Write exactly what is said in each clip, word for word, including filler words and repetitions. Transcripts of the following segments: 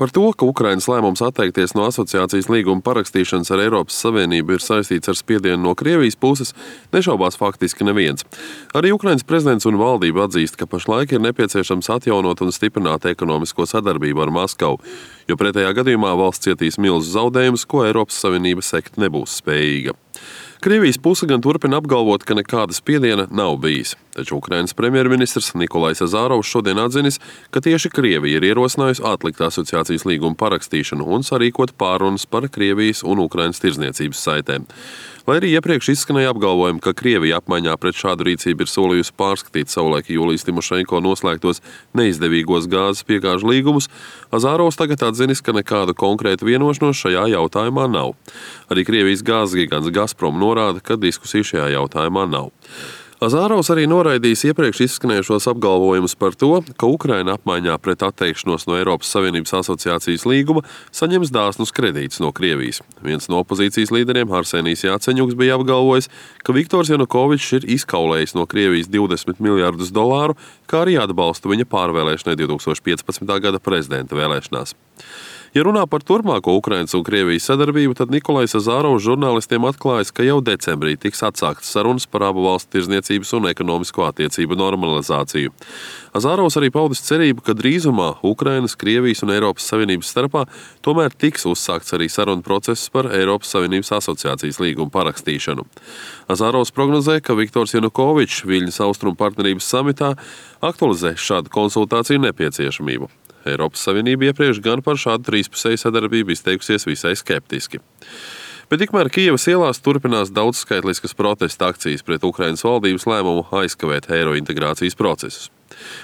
Par to, ka Ukrainas lēmums atteikties no asociācijas līguma parakstīšanas ar Eiropas Savienību ir saistīts ar spiedienu no Krievijas puses, nešaubās faktiski neviens. Arī Ukrainas prezidents un valdība atzīst, ka pašlaik ir nepieciešams atjaunot un stiprināt ekonomisko sadarbību ar Maskavu, jo pretējā gadījumā valsts cietīs milzu zaudējumus, ko Eiropas Savienība sekt nebūs spējīga. Krievijas puse gan turpina apgalvot, ka nekāda spiediena nav bijis. Taču Ukrainas premjerministrs Nikolais Azarovs šodien atzinis, ka tieši Krievija ir ierosinājusi atlikt asociācijas līguma parakstīšanu un sarīkot pārunas par Krievijas un Ukrainas tirdzniecības saitēm. Lai arī iepriekš izskanēja apgalvojumi, ka Krievija apmaiņā pret šādu rīcību ir solījusi pārskatīt savulaik Julijas Timošenko noslēgtos neizdevīgos gāzes piegāžu līgumus, Azarovs tagad atzinis, ka nekādu konkrētu vienošanos šajā jautājumā nav. Arī Krievijas gāzes gigants Gazprom norāda, ka diskusiju šajā jautājumā nav. Azarovs arī noraidījis iepriekš izskanējušos apgalvojumus par to, ka Ukraina apmaiņā pret atteikšanos no Eiropas Savienības asociācijas līguma saņems dāsnus kredītus no Krievijas. Viens no opozīcijas līderiem, Arsenijs Jāceņuks, bija apgalvojis, ka Viktors Janukovičs ir izkaulējis no Krievijas divdesmit miljardus dolāru, kā arī atbalstu viņa pārvēlēšanai divs tūkstoši piecpadsmitā gada prezidenta vēlēšanās. Ja runā par turpmāko Ukrainas un Krievijas sadarbību, tad Nikolais Azarovs žurnālistiem atklājis, ka jau decembrī tiks atsāktas sarunas par abu valstu tirdzniecības un ekonomisko attiecību normalizāciju. Azarovs arī paudis cerību, ka drīzumā Ukrainas, Krievijas un Eiropas Savienības starpā tomēr tiks uzsākts arī sarunu process par Eiropas Savienības asociācijas līgumu parakstīšanu. Azarovs prognozē, ka Viktors Janukovičs Viļņas austrumu partnerības samitā aktualizē šādu konsultāciju nepieciešamību. Eiropas Savienība iepriekš gan par šādu trīspusēju sadarbību izteikusies visai skeptiski. Bet tikmēr Kijevas ielās turpinās daudzskaitliskas protesta akcijas pret Ukrainas valdības lēmumu aizkavēt eiro integrācijas procesus.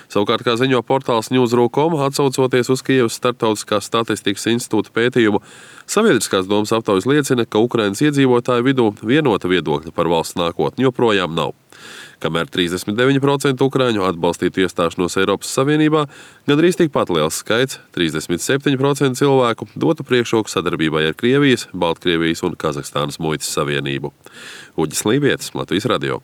Savukārt, kā ziņo portāls Newsroom punkt com, atsaucoties uz Kijevas Startautiskās statistikas institūta pētījumu, sabiedriskās domas aptaujas liecina, ka Ukrainas iedzīvotāju vidū vienota viedokļa par valsts nākotni joprojām nav. Kamēr trīsdesmit deviņi procenti ukrāņu atbalstītu iestāšanos Eiropas Savienībā, gandrīz tikpat liels skaits, trīsdesmit septiņi procenti cilvēku, dotu priekšroku sadarbībai ar Krievijas, Baltkrievijas un Kazahstānas muitas savienību. Uģis Lībietis, Latvijas radio.